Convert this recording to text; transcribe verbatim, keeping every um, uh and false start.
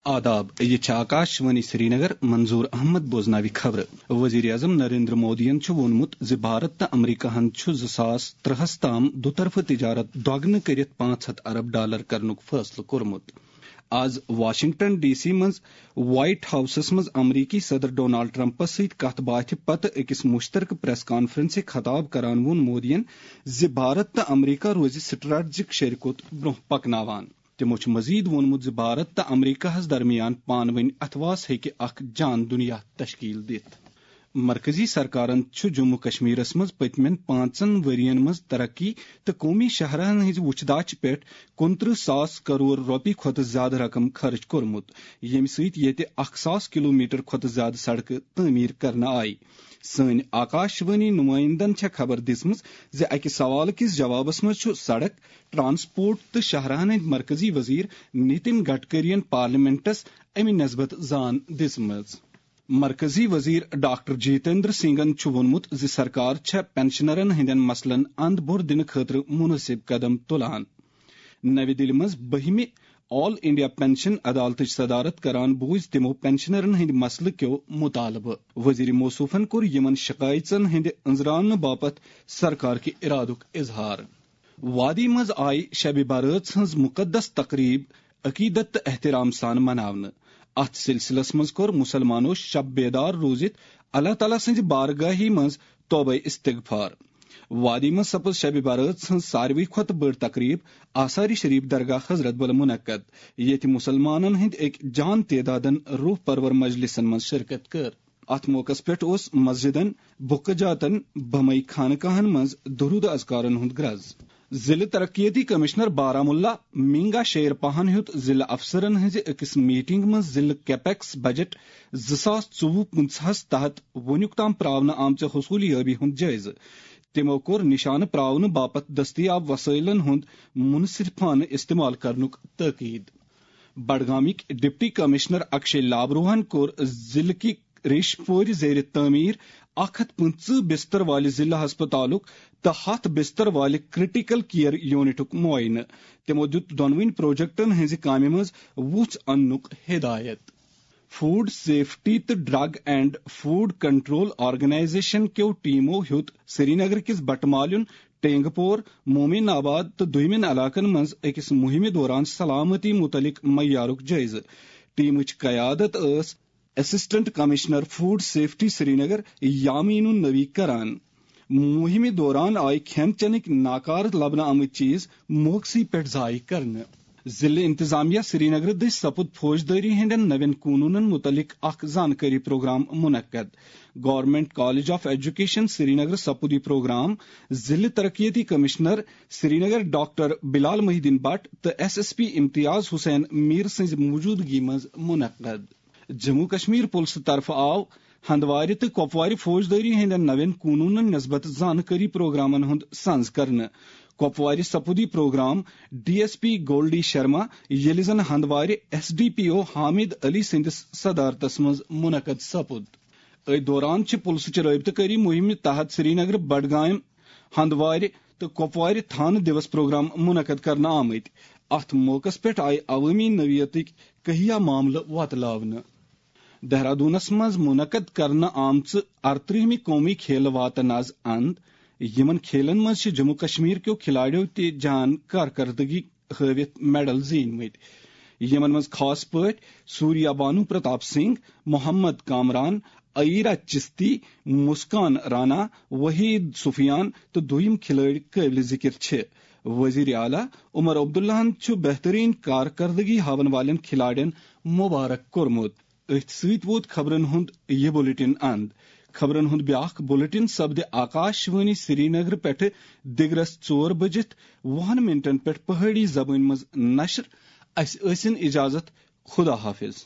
آداب، یہِ چھِ آکاش وانی سرینگر۔ منظور احمد بوزناوِ خبرٕ۔ وزیر اعظم نریندر مودیَن چھُ ووٚنمُت زِ بھارت تہٕ امریکہ ہَن چھُ زٕ ساس ترٛہَس تام دُطرفہٕ تجارت دۄگنہٕ کٔرِتھ پانٛژھ ہَتھ ارب ڈالر کرنُک فٲصلہٕ کوٚرمُت۔ آز واشنگٹن ڈی سی منٛز وائٹ ہاؤسَس منٛز امریکی صدر ڈونالڈ ٹرمپَس سۭتۍ کتھ باتھِ پتہٕ أکِس مشترکہٕ پریس کانفرنسہِ خطاب کران ووٚن مودیَن زِ بھارت تہٕ امریکہ روزِ سٹریٹجک شریکوت برونٛہہ پکناوان۔ تِمو چھُ مزید ووٚنمُت زِ بھارت تہٕ امریکہ ہَس درمیان پانہٕ ؤنۍ اتھواس ہیٚکہِ اکھ جان دُنیا تشکیل دِتھ۔ مرکزی سرکارن چھُ جموں کشمیرس منٛز پٔتمٮ۪ن پانٛژن ؤرین منٛز ترقی تہٕ قومی شاہراہن ہٕنٛزِ وُچھداچہِ پٮ۪ٹھ کُنترٕہ ساس کرور رۄپیہِ کھۄتہٕ زیادٕ رقم خرٕچ کوٚرمُت، ییٚمہِ سۭتۍ ییٚتہِ اکھ ساس کلومیٹر کھۄتہٕ زیادٕ سڑکہٕ تعمیٖر کرنہٕ آیہِ۔ سٲنۍ آکاش وانی نُمٲیندن چھےٚ خبر دِژمٕژ زِ اکہِ سوالہٕ کِس جوابس منٛز چھُ سڑک، ٹرانسپورٹ تہٕ شاہراہن ہٕنٛدۍ مرکزی وزیر نتن گڈکرین پارلیمنٹس امہِ نسبت زان دِژمٕژ۔ مرکزی وزیر ڈاکٹر جتیندر سنگھن چھُ ووٚنمُت زِ سرکار چھےٚ پنشنرن ہٕنٛدٮ۪ن مسلن اند بور دِنہٕ خٲطرٕ مناسب قدم تُلان۔ نَوِ دِلہِ منٛز بٔہمہِ آل انڈیا پنشن عدالتٕچ صدارت کران بوٗزۍ تِمو پنشنرن ہٕنٛدۍ مسلہٕ کیو مطالبہٕ۔ وزیر موصوفن کوٚر یِمن شکایژن ہٕنٛدِ أنٛزراونہٕ باپتھ سرکار کہِ ارادُک اظہار۔ وادی منٛز آیہِ شبِ برٲژ ہٕنٛز مقدس تقریب عقیدت تہٕ احترام سان مناونہٕ۔ اتھ سلسلس منٛز کوٚر مسلمانو شب بیدار روٗزِتھ اللہ تعالیٰ سٕنٛزِ بارگاہی منٛز توبہ استغفار۔ وادی منٛز سپٕز شبِ برٲژ ہٕنٛز ساروی کھۄتہٕ بٔڑ تقریب آثار شریف درگاہ حضرت بل منعقد، ییٚتہِ مسلمانن ہٕنٛدۍ أکۍ جان تعدادن روح پرور مجلسن منٛز شرکت کٔر۔ اتھ موقعس پٮ۪ٹھ اوس مسجدن، بُکہٕ جاتن، بمے خانقاہن منٛز درود اذکارن ہُنٛد گرز۔ ضلع ترقیتی کمشنر بارہمولہ مینگا شیر پاہن ہیوٚت ضلع افسرن ہٕنٛزِ أکِس میٹنگ منٛز ضلع کیپیکس بجٹ زٕ ساس ژوٚوُہ پٕنٛژٕہَس تحت وُنیُک تام پراونہٕ آمژِ حصوٗل یٲبی ہُنٛد جٲیزٕ۔ تِمو کوٚر نشانہٕ پراونہٕ باپتھ دٔستیاب وسٲیلن ہُنٛد منصفانہٕ استعمال کرنُک تٲکید۔ بڈگامٕکۍ ڈپٹی کمشنر اکشے لابروہن کوٚر ضلعہٕ کہِ ریش پورِ زیر تعمیر اکھ ہتھ پٕنٛژٕہ بستر والہِ ضلع ہسپتالُک تہٕ ہتھ بستر والہِ کرٹیکل کیئر یونٹُک معائنہٕ۔ تِمو دِیُت دۄنوٕنی پروجیکٹن ہٕنٛزِ کامہِ منٛز وُژھ اننُک ہدایت۔ فوڈ سیفٹی تہٕ drug and food control organisation کیو ٹیمو ہیوٚت سرینگر کِس بٹمالیُن، ٹینگ پور، مومن آباد تہٕ دوٚیمٮ۪ن علاقن منٛز أکِس مُہِمہِ دوران سلامتی مُتعلق معیارُک جٲیزٕ۔ ٹیمٕچ قیادت ٲس assistant commissioner food safety Srinagar Yamin Ul Nabi کران۔ مُہِمہِ دوران آیہِ کھٮ۪ن چٮ۪نٕکۍ ناکارٕ لبنہٕ آمٕتۍ چیز موقعسٕے پٮ۪ٹھ ضایع کرنہٕ۔ ضلعہٕ انتظامیہ سرینگرٕ دٔسۍ سپُد فوجدٲری ہٕنٛدٮ۪ن نوٮ۪ن قونوٗنن مُتعلق اکھ زانکٲری پروگرام منعقد۔ گورنمنٹ کالج آف ایجوکیشن سرینگرٕ سپُد یہِ پروگرام ضلعہٕ ترقیتی کمشنر سرینگر ڈاکٹر بلال محی الدین بٹ تہٕ ایس ایس پی امتیاز حسین میر سٕنٛزِ موجودگی منٛز منعقد۔ جموں کشمیر پُلسہٕ طرفہٕ آو ہندوارِ تہٕ کۄپوارِ فوجدٲری ہٕنٛدٮ۪ن نوٮ۪ن قونوٗنن نسبت زانکٲری پروگرامن ہُنٛد سنز کرنہٕ۔ کۄپوارِ سپُد یہِ programme D S P Goldy Sharma, ییٚلہِ زن ہندوارِ S D P O Hamid Ali سٕنٛدِس صدارتس منٛز منعقد سپُد۔ أتھۍ دوران چھِ پُلسٕچہِ رٲبطہٕ کٲری مُہِمہِ تحت سرینگرٕ، بڈگام، ہندوارِ تہٕ کۄپوارِ تھانہٕ دیوس پروگرام منعقد کرنہٕ آمٕتۍ۔ اتھ موقعس پٮ۪ٹھ آیہِ عوٲمی نوعیتٕکۍ کہیا معاملہٕ وۄتلاونہٕ۔ دہرادوٗنس منٛز منعقد کرنہٕ آمژٕ ارترٕہمہِ قومی کھیلہٕ واتن از اند۔ یِمن کھیلن منٛز چھِ جموں کشمیر کیو کھلاڑیو تہِ جان کارکردگی ہٲوِتھ میڈل زیٖنۍ مٕتۍ، یِمن منٛز خاص پٲٹھۍ سوریا بانو پرتاپ سنگھ، محمد کامران، عیرا چستی، مسکان رانا، وحید سفیان تہٕ دوٚیِم کھلٲڑۍ قٲبلِ ذِکِر چھِ۔ وزیر اعلیٰ عمر عبداللہَن چھُ بہتریٖن کارکردگی ہاون والٮ۪ن کھلاڑٮ۪ن مبارک کوٚرمُت۔ أتھۍ سۭتۍ ووت خبرن ہُنٛد یہِ بلیٹن اند۔ خبرن ہُنٛد بیاکھ بلیٹن سپدِ آکاش وانی سرینگر پٮ۪ٹھٕ دِگرس ژور بجِتھ وُہن منٹن پٮ۪ٹھ پہٲڑی زبٲنۍ منٛز نشر۔ اسہِ ٲسِن اجازت۔ خدا حافظ۔